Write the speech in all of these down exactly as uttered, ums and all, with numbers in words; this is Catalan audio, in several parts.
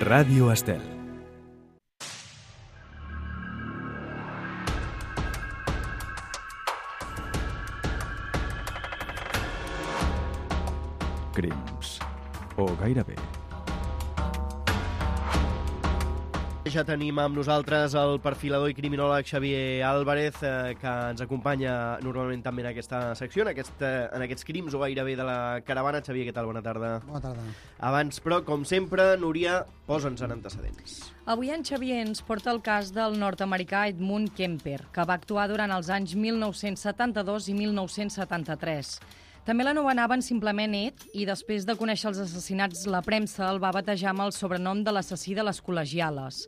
Ràdio Estel. Crims. O gairebé. Ja tenim amb nosaltres el perfilador i criminòleg Xavier Álvarez, eh, que ens acompanya normalment també en aquesta secció, en, aquest, eh, en aquests crims o gairebé de la caravana. Xavier, què tal? Bona tarda. Bona tarda. Abans, però, com sempre, Núria, posa'ns en antecedents. Avui en Xavier ens porta el cas del nord-americà Edmund Kemper, que va actuar durant els anys mil nou-cents setanta-dos i mil nou-cents setanta-tres. També l'anomenaven simplement Ed i després de conèixer els assassinats la premsa el va batejar amb el sobrenom de l'assassí de les col·legiales.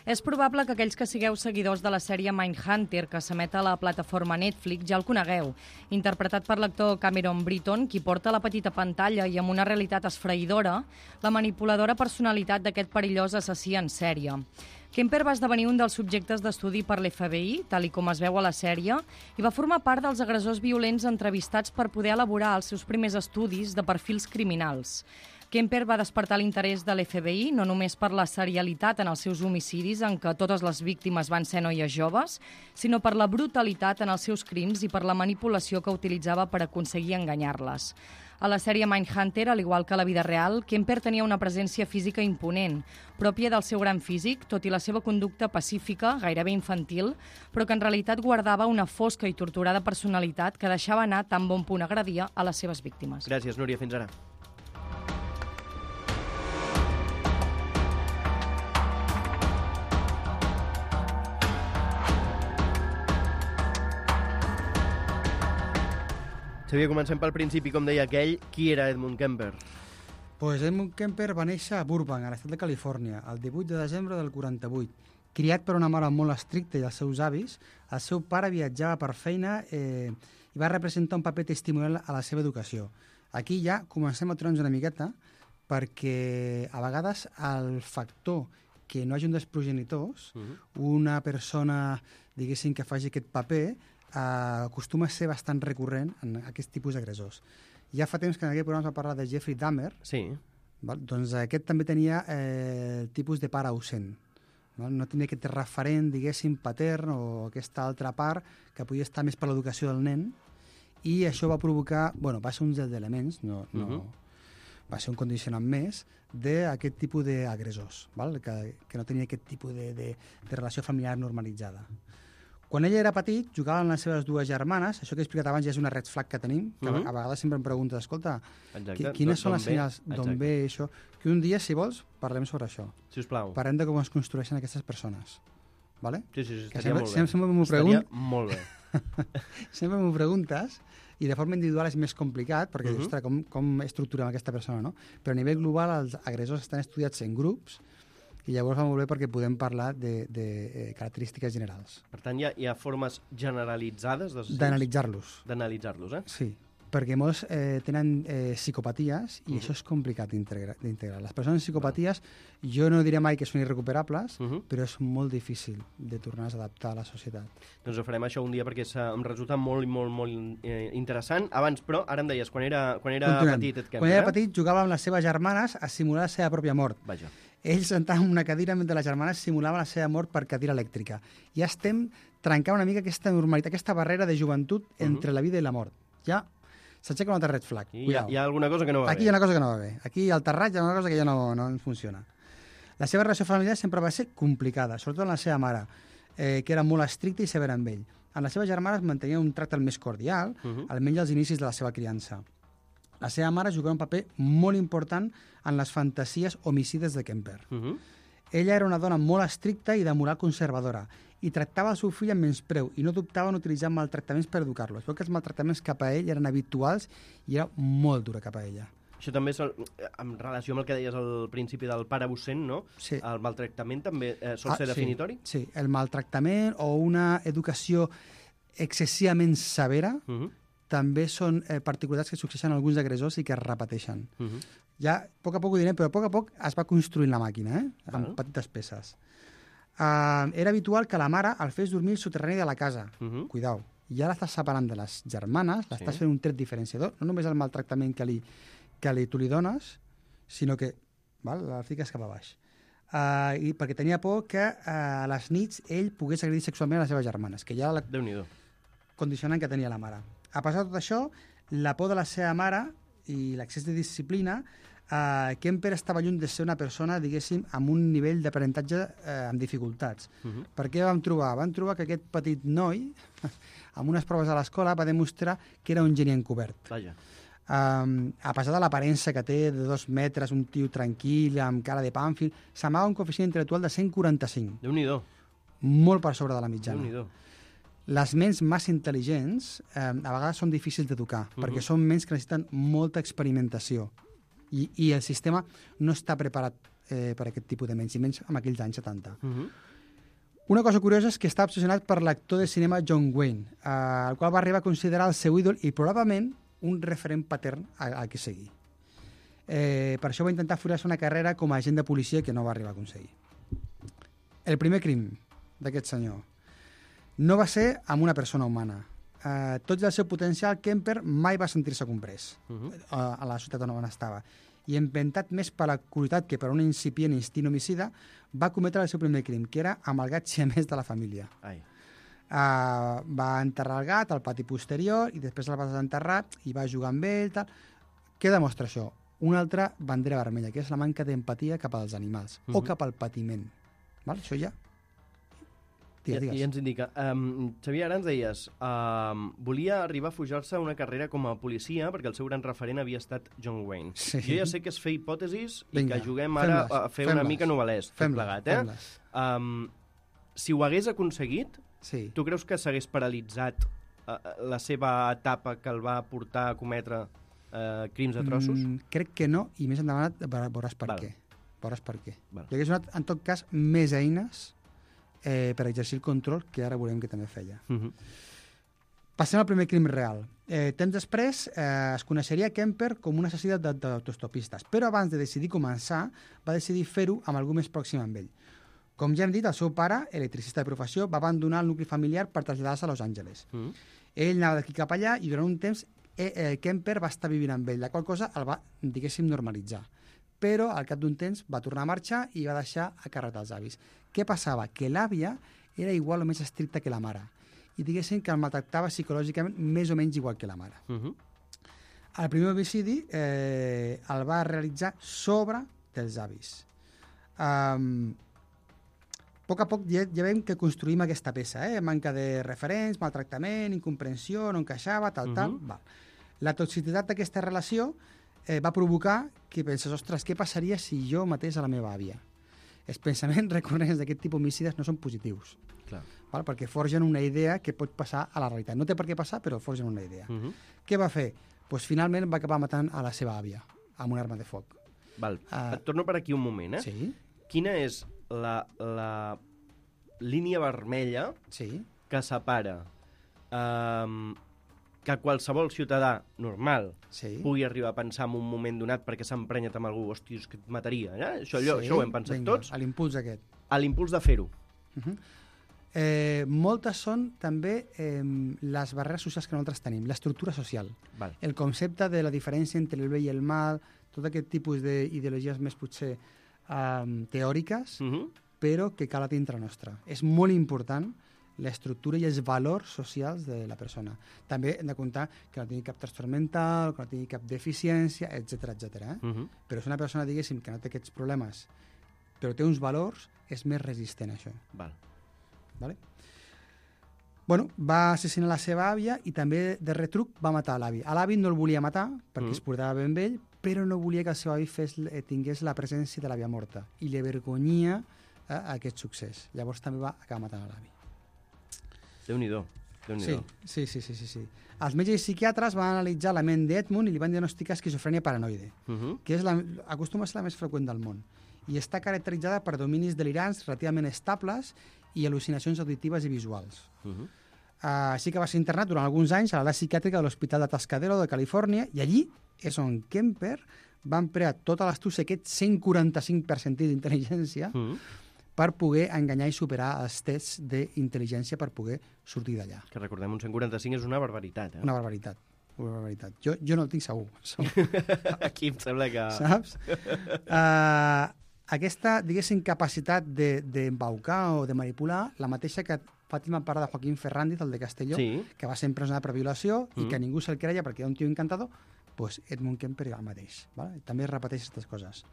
És probable que aquells que sigueu seguidors de la sèrie Mindhunter, que s'emet a la plataforma Netflix, ja el conegueu. Interpretat per l'actor Cameron Britton, qui porta a la petita pantalla i amb una realitat esfraïdora la manipuladora personalitat d'aquest perillós assassí en sèrie. Kemper va esdevenir un dels subjectes d'estudi per l'F B I, tal i com es veu a la sèrie, i va formar part dels agressors violents entrevistats per poder elaborar els seus primers estudis de perfils criminals. Kemper va despertar l'interès de l'F B I no només per la serialitat en els seus homicidis, en què totes les víctimes van ser noies joves, sinó per la brutalitat en els seus crims i per la manipulació que utilitzava per aconseguir enganyar-les. A la sèrie Mindhunter, al igual que a la vida real, Kemper tenia una presència física imponent, pròpia del seu gran físic, tot i la seva conducta pacífica, gairebé infantil, però que en realitat guardava una fosca i torturada personalitat que deixava anar tan bon punt agredia a les seves víctimes. Gràcies, Núria. Fins ara. Xavier, comencem pel principi, com deia aquell. Qui era Edmund Kemper? Pues Edmund Kemper va néixer a Burbank, a l'estat de Califòrnia, el divuit de desembre del quaranta-vuit. Criat per una mare molt estricta i els seus avis, el seu pare viatjava per feina eh, i va representar un paper testimonial a la seva educació. Aquí ja comencem a aturar-nos una miqueta, perquè a vegades el factor que no hagi un dels progenitors, uh-huh. una persona, diguéssim, que faci aquest paper, Uh, acostuma a ser bastant recurrent en aquest tipus d'agressors. Ja fa temps que en aquest programa es va parlar de Jeffrey Dahmer. Sí. Val? Doncs aquest també tenia eh, el tipus de pare ausent. Val? No tenia aquest referent, diguéssim, patern o aquesta altra part que podia estar més per l'educació del nen, i això va provocar, bueno, va ser un dels elements, no, no, uh-huh. va ser un condicionant més d'aquest tipus d'agressors, val? Que, que no tenia aquest tipus de, de, de relació familiar normalitzada. Quan ell era petit, jugava amb les seves dues germanes. Això que he explicat abans ja és una red flag que tenim, que uh-huh. a vegades sempre em preguntes, escolta, Exacte. quines són les senyals d'on ve això? Que un dia, si vols, parlem sobre això. Si us plau. Parlem de com es construeixen aquestes persones. Vale? Sí, sí, sí, que estaria sempre, molt bé. Sempre, sempre m'ho pregun... molt bé. sempre m'ho preguntes, i de forma individual és més complicat, perquè uh-huh. dius, ostres, com, com estructurem aquesta persona, no? Però a nivell global els agressors estan estudiats en grups, i llavors va molt bé perquè podem parlar de, de eh, característiques generals. Per tant, hi ha, hi ha formes generalitzades d'analitzar-los. D'analitzar-los, eh? Sí, perquè molts eh, tenen eh, psicopaties i uh-huh. això és complicat d'integrar. Les persones amb psicopaties, jo no diré mai que són irrecuperables, uh-huh. però és molt difícil de tornar a adaptar a la societat. Doncs ho farem això un dia perquè em resulta molt, molt, molt eh, interessant. Abans, però, ara em deies, quan era, quan era petit... Et quan era petit jugava amb les seves germanes a simular la seva pròpia mort. Vaja. Ell sentava en una cadira mentre les germanes simulaven la seva mort per cadira elèctrica. Ja estem trencant una mica aquesta normalitat, aquesta barrera de joventut entre uh-huh. la vida i la mort. Ja s'aixeca una altra red flag. Hi ha, hi ha alguna cosa que no va Aquí bé. Aquí hi ha una cosa que no va bé. Aquí al terrat hi ha una cosa que ja no, no funciona. La seva relació familiar sempre va ser complicada, sobretot amb la seva mare, eh, que era molt estricta i severa amb ell. Amb les seves germanes mantenia un tracte més cordial, uh-huh. almenys als inicis de la seva criança. La seva mare jugava un paper molt important en les fantasies homicides de Kemper. Uh-huh. Ella era una dona molt estricta i de moral conservadora i tractava el seu fill amb menyspreu i no dubtava en utilitzar maltractaments per educar-lo. Es veu que els maltractaments cap a ell eren habituals i era molt dura cap a ella. Això també és, el, en relació amb el que deies al principi del pare absent, no? Sí. El maltractament també eh, sol ah, ser definitori? Sí, sí, el maltractament o una educació excessivament severa uh-huh. també són eh, particularitats que succeeixen a alguns agressors i que es repeteixen. Uh-huh. Ja, a poc a poc ho direm, però a poc a poc es va construint la màquina, eh? amb uh-huh. petites peces. Uh, era habitual que la mare el fes dormir al soterrani de la casa. Uh-huh. Cuidao. I ara l'estàs separant de les germanes, l'estàs sí. fent un tret diferenciador, no només el maltractament que li, que li, tu li dones, sinó que val, la fiques cap a baix. Uh, i perquè tenia por que uh, a les nits ell pogués agredir sexualment a les seves germanes, que ja la Déu-n'hi-do. condicionant que tenia la mare. A pesar de tot això, la por de la seva mare i l'accés de disciplina, uh, Kemper estava lluny de ser una persona, diguéssim, amb un nivell d'aprenentatge uh, amb dificultats. Uh -huh. Per què vam trobar? Vam trobar que aquest petit noi, amb unes proves a l'escola, va demostrar que era un geni encobert. Vaja. Um, a pesar de l'aparença que té de dos metres, un tio tranquil, amb cara de pàmfil, s'amaga un coeficient intel·lectual de cent quaranta-cinc, Déu-n'hi-do. molt per sobre de la mitjana. Déu-n'hi-do. Les ments massa intel·ligents eh, a vegades són difícils d'educar, uh-huh. perquè són ments que necessiten molta experimentació i, i el sistema no està preparat eh, per aquest tipus de ments, i menys en aquells anys setanta. Uh -huh. Una cosa curiosa és que està obsessionat per l'actor de cinema John Wayne, eh, el qual va arribar a considerar el seu ídol i probablement un referent patern a, a què seguir. Eh, per això va intentar fer-se una carrera com a agent de policia que no va arribar a aconseguir. El primer crim d'aquest senyor no va ser amb una persona humana. Eh, tot i el seu potencial, Kemper mai va sentir-se comprès uh -huh. a, a la ciutat on estava. I empentat més per la curiositat que per un incipient instint homicida, va cometre el seu primer crim, que era amb el gat siamès de la família. Ai. Uh, va enterrar el gat al pati posterior i després el va desenterrar i va jugar amb ell. Tal. Què demostra això? Una altra bandera vermella, que és la manca d'empatia cap als animals uh -huh. o cap al patiment. Val? Això ja... Digues, digues. I, I ens indica... Um, Xavier, ara ens deies, um, volia arribar a fujar-se una carrera com a policia perquè el seu gran referent havia estat John Wayne. Sí. Jo ja sé que és fer hipòtesis Vinga, i que juguem ara a fer una mica novel·lès, tot plegat, eh? Um, si ho hagués aconseguit, sí. tu creus que s'hagués paralitzat uh, la seva etapa que el va portar a cometre uh, crims a trossos? Mm, crec que no, i més endavant veuràs per Val. què. Veuràs per què. Val. Li hagués donat, en tot cas, més eines eh, per exercir el control, que ara veurem que també feia. Uh -huh. Passem al primer crim real. Eh, temps després eh, es coneixeria Kemper com un assassí d'autostopistes, però abans de decidir començar, va decidir fer-ho amb algú més pròxim amb ell. Com ja hem dit, el seu pare, electricista de professió, va abandonar el nucli familiar per traslladar-se a Los Angeles. Mm. Ell anava d'aquí cap allà i durant un temps eh, eh, Kemper va estar vivint amb ell, la qual cosa el va, diguéssim, normalitzar. Però al cap d'un temps va tornar a marxar i va deixar a càrrec dels avis. Què passava? Que l'àvia era igual o més estricta que la mare i diguéssim que el maltractava psicològicament més o menys igual que la mare. Uh -huh. El primer homicidi eh, el va realitzar sobre dels avis. Um, a poc a poc ja, ja veiem que construïm aquesta peça, eh? Manca de referents, maltractament, incomprensió, no encaixava, tal, uh -huh. tal. Val. La toxicitat d'aquesta relació eh, va provocar que penses, ostres, què passaria si jo matés a la meva àvia? Els pensaments recurrents d'aquest tipus homicides no són positius. Clar. Val? Perquè forgen una idea que pot passar a la realitat. No té per què passar, però forgen una idea. Uh -huh. Què va fer? Pues, finalment va acabar matant a la seva àvia amb una arma de foc. Val. Uh, Et torno per aquí un moment, eh? Sí. Quina és la, la línia vermella sí. que separa um, que qualsevol ciutadà normal sí. pugui arribar a pensar en un moment donat perquè s'ha emprenyat amb algú, hòstia, és que et mataria, eh? Això, allò, sí. això ho hem pensat Vinga, tots. A l'impuls aquest. A l'impuls de fer-ho. Uh -huh. Eh, moltes són també eh, les barreres socials que nosaltres tenim, l'estructura social, Val. el concepte de la diferència entre el bé i el mal, tot aquest tipus d'ideologies més potser eh, teòriques, uh -huh. però que cal a dintre nostra. És molt important l'estructura i els valors socials de la persona. També hem de comptar que no tingui cap trastorn mental, que no tingui cap deficiència, etcètera, etcètera. Eh? Uh -huh. Però si una persona, diguéssim, que no té aquests problemes, però té uns valors, és més resistent a això. Val. Vale? Bueno, va assassinar la seva àvia i també de retruc va matar l'avi. A l'avi no el volia matar perquè mm. es portava ben amb ell, però no volia que el seu avi fes, tingués la presència de l'àvia morta i li avergonyia eh, aquest succés. Llavors també va acabar matant a l'avi. Déu-n'hi-do. Déu-n'hi-do. Sí, sí, sí, sí, sí. Els metges i psiquiatres van analitzar la ment d'Edmund i li van diagnosticar esquizofrènia paranoide, uh -huh. que és la, acostuma a ser la més freqüent del món i està caracteritzada per dominis delirants relativament estables i al·lucinacions auditives i visuals. Uh -huh. uh, així que va ser internat durant alguns anys a l'ala psiquiàtrica de l'Hospital de Tascadero de Califòrnia i allí és on Kemper va emplear tota l'astúcia, aquest cent quaranta-cinc per cent d'intel·ligència, uh -huh. per poder enganyar i superar els tests d'intel·ligència per poder sortir d'allà. Que recordem, un cent quaranta-cinc és una barbaritat, eh? Una barbaritat. Una barbaritat. Jo, jo no el tinc segur. Aquí em sembla que... Saps? Uh, Aquesta, diguéssim, capacitat d'embaucar o de manipular, la mateixa que Fàtima parla de Joaquín Ferrandiz, el de Castelló, Sí. que va ser empresonat per violació Mm. i que ningú se'l creia perquè era un tio encantador, doncs Edmund Kemper era el mateix. Vale? També es repeteix aquestes coses.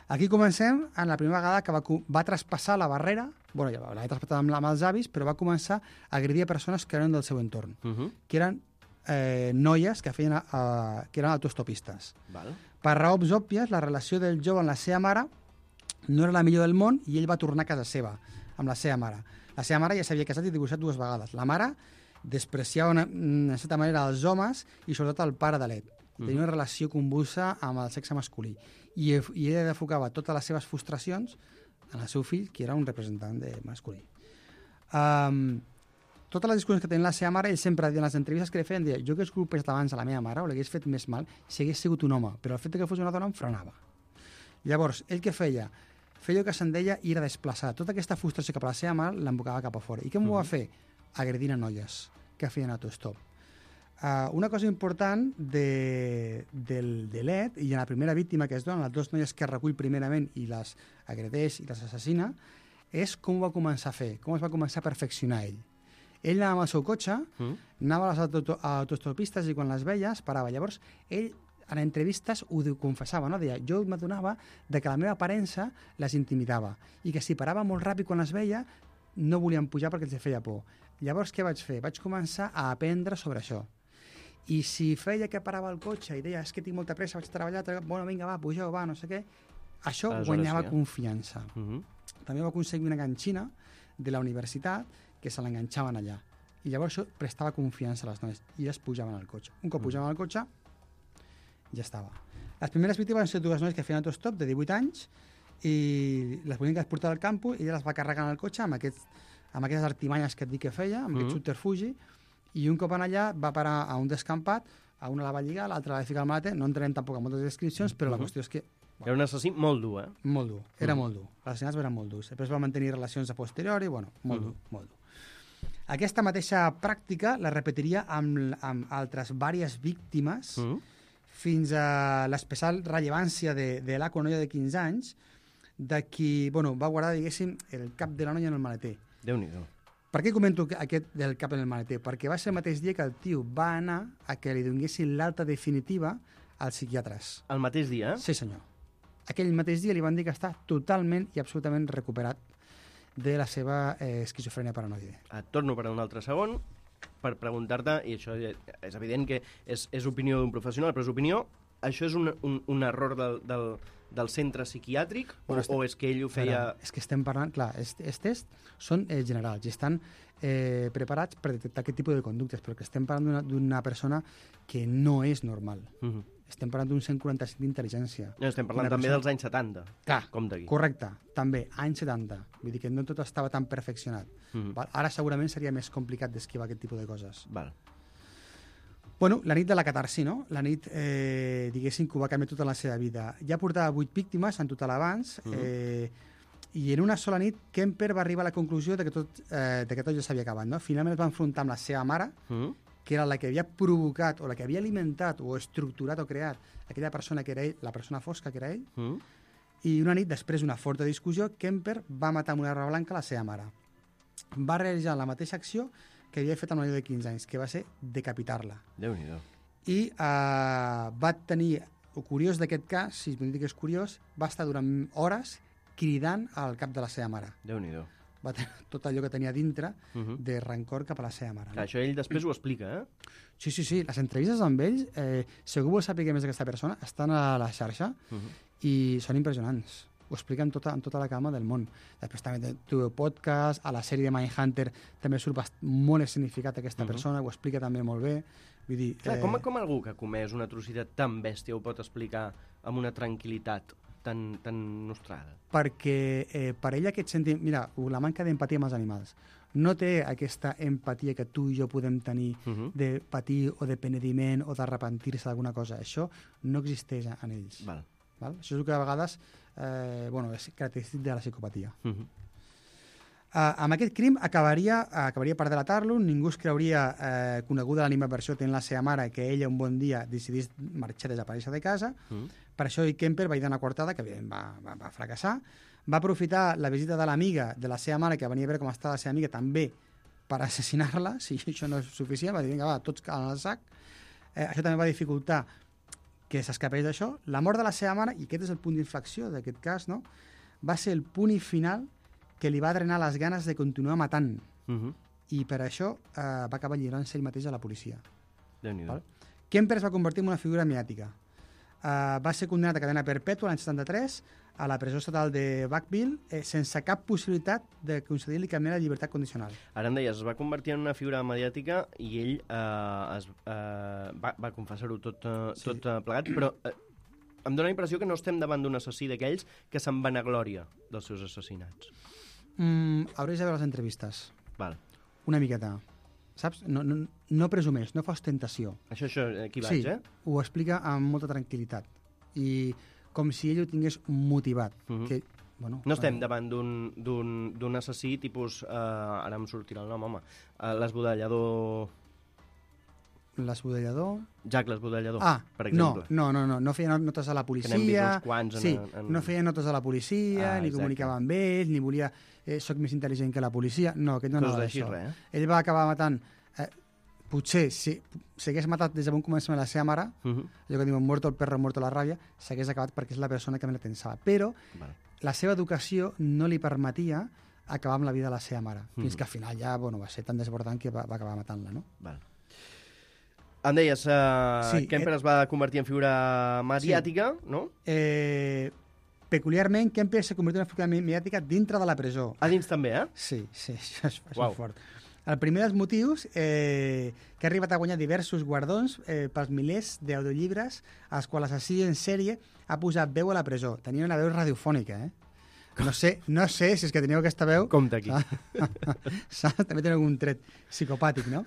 Aquí comencem en la primera vegada que va, va traspassar la barrera, bueno, ja l'havia traspassat amb, amb els avis, però va començar a agredir a persones que eren del seu entorn, Uh -huh. que eren eh, noies que feien uh, que eren autostopistes. Val. Per raons òbvies, la relació del jove amb la seva mare no era la millor del món i ell va tornar a casa seva, amb la seva mare. La seva mare ja s'havia casat i divorciat dues vegades. La mare despreciava una, una certa manera els homes i sobretot el pare de l'Ed. Tenia una relació convulsa amb el sexe masculí. I, i ella enfocava totes les seves frustracions en el seu fill, que era un representant de masculí. Um, totes les discussions que tenia la seva mare, ell sempre, en les entrevistes que li feien, deia, jo hagués colpejat abans a la meva mare o l'hagués fet més mal si hagués sigut un home, però el fet que fos una dona em frenava. Llavors, ell què feia? Feia el que se'n deia ir a desplaçar. Tota aquesta frustració cap a la seva mare l'embocava cap a fora. I què m'ho va fer? Agredint a noies que feien autostop. Uh, una cosa important de, del, de l'Ed, i en la primera víctima que es dona, les dues noies que recull primerament i les agredeix i les assassina, és com ho va començar a fer, com es va començar a perfeccionar ell. Ell anava amb el seu cotxe, mm. anava a les auto autostopistes i quan les veia es parava. Llavors, ell en entrevistes ho confessava, no? Deia, jo m'adonava de que la meva aparença les intimidava i que si parava molt ràpid quan les veia no volien pujar perquè els feia por. Llavors, què vaig fer? Vaig començar a aprendre sobre això. I si feia que parava el cotxe i deia, és que tinc molta pressa, vaig a treballar, bueno, vinga, va, pugeu, va, no sé què, això Aleshores, guanyava sí, eh? confiança. Uh -huh. També va aconseguir una ganxina de la universitat que se l'enganxaven allà. I llavors això prestava confiança a les noies i es pujaven al cotxe. Un cop pujaven al cotxe, ja estava. Les primeres víctimes van ser dues noies que feien autostop de divuit anys i les volien que es portava al campus i ella les va carregar en el cotxe amb, aquests, amb aquestes artimanyes que et dic que feia, amb mm -hmm. aquest subterfugi, i un cop en allà va parar a un descampat, a una la va lligar, l'altra la va ficar al maleter, no entrarem tampoc en moltes descripcions, però mm -hmm. la qüestió és que... Bueno, era un assassí molt dur, eh? Molt dur, era Mm. molt dur. Els assassinats eren molt durs. Després va mantenir relacions a posteriori, bueno, molt Mm. dur, molt dur. Aquesta mateixa pràctica la repetiria amb, amb altres diverses víctimes Mm. fins a l'especial rellevància de, de l'Aco, una noia de quinze anys, de qui, bueno, va guardar, diguéssim, el cap de la noia en el maleter. Déu-n'hi-do. Per què comento aquest del cap en el maleter? Perquè va ser el mateix dia que el tio va anar a que li donessin l'alta definitiva als psiquiatres. El mateix dia, eh? Sí, senyor. Aquell mateix dia li van dir que està totalment i absolutament recuperat de la seva eh, esquizofrènia paranoide. Et torno per un altre segon per preguntar-te, i això és evident que és, és opinió d'un professional, però és opinió, això és un, un, un error del, del, del centre psiquiàtric Bueno, o, estem- o és que ell ho feia... Ara, és que estem parlant, clar, els els tests són eh, generals i estan eh, preparats per detectar aquest tipus de conductes, però que estem parlant d'una- d'una persona que no és normal. Uh -huh. Estem parlant d'un cent quaranta-cinc d'intel·ligència. No, estem parlant Una també persona- dels anys setanta. Clar, Com d'aquí. correcte, també, anys setanta. Vull dir que no tot estava tan perfeccionat. Uh -huh. Val? Ara segurament seria més complicat d'esquivar aquest tipus de coses. Val. Bueno, la nit de la catarsi, no? La nit, eh, diguéssim, que ho va canviar tota la seva vida. Ja portava vuit víctimes en total abans, Mhm. eh, i en una sola nit Kemper va arribar a la conclusió de que tot, eh, de que tot ja s'havia acabat, no? Finalment es va enfrontar amb la seva mare, Uh -huh. que era la que havia provocat, o la que havia alimentat, o estructurat o creat aquella persona que era ell, la persona fosca que era ell, Uh -huh. i una nit, després d'una forta discussió, Kemper va matar amb una arma blanca la seva mare. Va realitzar la mateixa acció que havia fet amb una noia de quinze anys, que va ser decapitar-la. Déu-n'hi-do. I eh, va tenir, el curiós d'aquest cas, si es pot dir que és curiós, va estar durant hores cridant al cap de la seva mare. Déu-n'hi-do. Va tenir tot allò que tenia dintre Uh -huh. de rancor cap a la seva mare. Clar, això ell després ho explica, eh? Sí, sí, sí. Les entrevistes amb ells, eh, si algú vol saber més d'aquesta persona, estan a la xarxa Uh -huh. i són impressionants. Ho expliquen tota, en tota la calma del món. Després també té el podcast, a la sèrie de Mindhunter també surt bast- molt escenificat aquesta Mhm. persona, ho explica també molt bé. Vull dir, Clar, com, com algú que ha comès una atrocitat tan bèstia ho pot explicar amb una tranquil·litat tan, tan nostrada? perquè eh, per ell aquest sentiment... Mira, la manca d'empatia amb els animals. No té aquesta empatia que tu i jo podem tenir Uh -huh. de patir o de penediment o d'arrepentir-se d'alguna cosa. Això no existeix en ells. Val. Val? Això és el que a vegades eh, bueno, és característic de la psicopatia. Uh -huh. Uh, amb aquest crim acabaria, acabaria per delatar-lo, ningú es creuria eh, coneguda l'animaversió tenint la seva mare que ella un bon dia decidís marxar, desaparèixer de casa. Mm. Per això Kemper va ir una coartada que va, va, va fracassar. Va aprofitar la visita de l'amiga de la seva mare, que venia a veure com estava la seva amiga, també per assassinar-la. Si això no és suficient, va dir, vinga, va, tots al sac. Eh, això també va dificultar que s'escapés d'això. La mort de la seva mare, i aquest és el punt d'inflexió d'aquest cas, no? Va ser el punt final que li va drenar les ganes de continuar matant. Uh-huh. I per això eh, va acabar lliurant-se ell mateix a la policia. Déu-n'hi-do. Kemper es va convertir en una figura mediàtica. Uh, va ser condemnat a cadena perpètua l'any setanta-tres a la presó estatal de Buckville eh, sense cap possibilitat de concedir-li cap mena de llibertat condicional. Ara em deies, es va convertir en una figura mediàtica i ell eh, es, eh, va, va confessar-ho tot, eh, Sí. tot eh, plegat, però eh, em dóna la impressió que no estem davant d'un assassí d'aquells que se'n vanaglòria dels seus assassinats. Mm, hauries de veure les entrevistes. Val. Una miqueta. Saps? No, no, no presumeix, no fa ostentació. Això, això, aquí Sí, vaig, eh? ho explica amb molta tranquil·litat. I com si ell ho tingués motivat. Mhm. que, bueno, No estem eh, davant d'un- d'un d'un assassí tipus... Eh, ara em sortirà el nom, home. Eh, l'esbudellador... L'esbudellador... Jack l'esbudellador, Ah, per no, exemple. no, no, no, no feia notes a la policia. n'hem vist uns quants en- sí, en- no feia notes a la policia, Ah, ni exacte. comunicava amb ells, ni volia... Eh, soc més intel·ligent que la policia. No, aquest no Coses anava així, d'això. res, eh? Ell va acabar matant... Eh, potser, si s'hagués matat des de bon començament la seva mare, Uh -huh. allò que diuen muerto el perro, muerto la ràbia, s'hagués acabat perquè és la persona que me la pensava. Però Vale. la seva educació no li permetia acabar amb la vida de la seva mare. Mhm. Fins que al final ja bueno, va ser tan desbordant que va, va acabar matant-la, no? Val. Em deies, uh, Sí, Kemper eh, es va convertir en figura mediàtica, no? Eh, peculiarment, Kemper s'ha convertit en una figura mediàtica dintre de la presó. A dins també, eh? Sí, sí, això és, això Uau. és fort. El primer dels motius, eh, que ha arribat a guanyar diversos guardons eh, pels milers d'audiollibres als quals l'assassí en sèrie ha posat veu a la presó. Tenia una veu radiofònica, eh? No sé, no sé si és que teniu aquesta veu... Compte aquí. Saps? També tenen un tret psicopàtic, no?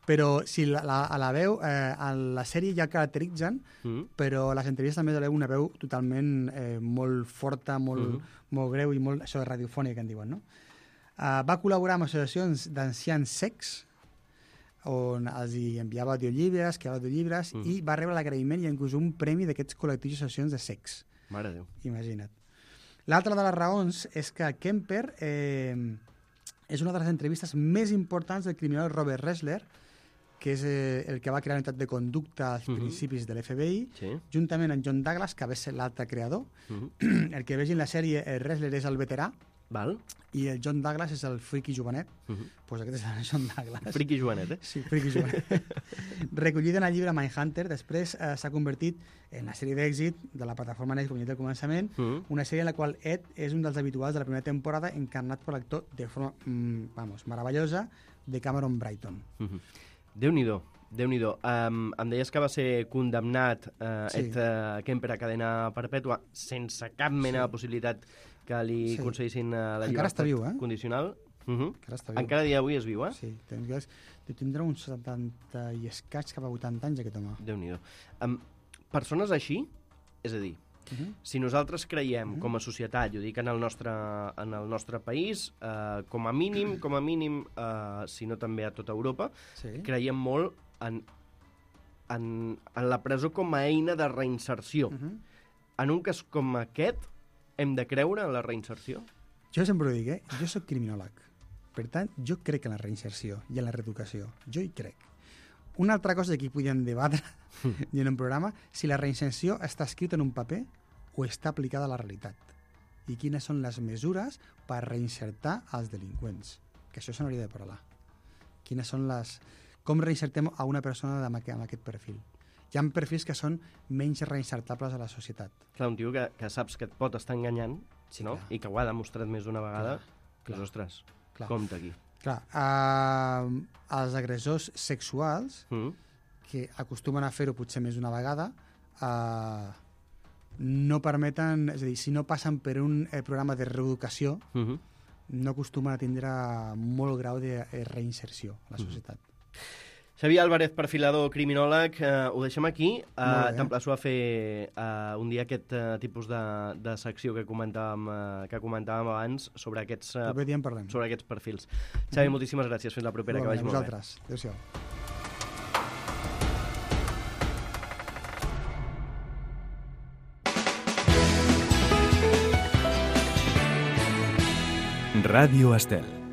Però si la, la, a la veu, eh, a la sèrie ja caracteritzen, Mm. però a les entrevistes també veu una veu totalment eh, molt forta, molt, Mhm. molt greu i molt això de radiofònica, que en diuen, no? Uh, va col·laborar amb associacions d'ancians secs, on els hi enviava audiollibres, creava audiollibres, Mhm. i va rebre l'agraïment i inclús un premi d'aquests col·lectius i associacions de secs. Mare de Déu. Imagina't. L'altra de les raons és que Kemper eh, és una de les entrevistes més importants del criminal Robert Ressler, que és eh, el que va crear la unitat de conducta als Mhm. principis de l'F B I, Sí. juntament amb John Douglas, que va ser l'altre creador. Mm -hmm. El que vegi en la sèrie, el Ressler és el veterà Val. i el John Douglas és el friqui jovenet. Mm -hmm. Pues aquest és el John Douglas. Friqui jovenet, eh? Sí, friqui jovenet. Recollida en el llibre Mindhunter, després eh, s'ha convertit en la sèrie d'èxit de la plataforma Netflix, com ja dit al començament, Mm -hmm. una sèrie en la qual Ed és un dels habituals de la primera temporada, encarnat per l'actor de forma, mm, vamos, meravellosa, de Cameron Brighton. Mm -hmm. Déu-n'hi-do. Déu-n'hi-do. Um, em deies que va ser condemnat uh, Sí. Ed uh, Kemper a cadena perpètua sense cap mena Sí. de possibilitat que li Sí. concedissin uh, la Encara llibertat està viu, eh? condicional. Uh -huh. Encara està viu. Encara a dia d'avui és viu, eh? Sí, tindrà, tindrà uns setanta i escaig cap a vuitanta anys, aquest home. Déu-n'hi-do. Um, persones així, és a dir, Uh -huh. si nosaltres creiem Mhm. com a societat, jo dic en el nostre, en el nostre país, eh, com a mínim, com a mínim, eh, si no també a tota Europa, Sí. creiem molt en, en, en la presó com a eina de reinserció. Uh -huh. En un cas com aquest, hem de creure en la reinserció? Jo sempre ho dic, eh? Jo sóc criminòleg. Per tant, jo crec en la reinserció i en la reeducació. Jo hi crec. Una altra cosa que aquí podíem debatre en un programa, si la reinserció està escrita en un paper o està aplicada a la realitat. I quines són les mesures per reinsertar els delinqüents. Que això se n'hauria de parlar. Quines són les... Com reinsertem a una persona amb aquest, amb aquest perfil? Hi ha perfils que són menys reinsertables a la societat. Clar, un tio que, que saps que et pot estar enganyant, Sí, no? clar. I que ho ha demostrat més d'una vegada, Clar, doncs, clar. ostres, Clar. compte aquí. Clar, eh, els agressors sexuals, Mm? que acostumen a fer-ho potser més d'una vegada, eh, no permeten, és a dir, si no passen per un eh, programa de reeducació, Mm -hmm. no acostumen a tindre molt grau de eh, reinserció a la societat. Xavier Álvarez, perfilador, criminòleg, eh, ho deixem aquí. Eh, Molt bé. T'emplaço a fer eh, un dia aquest eh, tipus de, de secció que comentàvem, eh, que comentàvem abans sobre aquests, eh, Proper dia en parlem. sobre aquests perfils. Xavier, moltíssimes gràcies. Fins la propera, que vagi molt bé. Vosaltres. Adéu-siau. Radio Estel.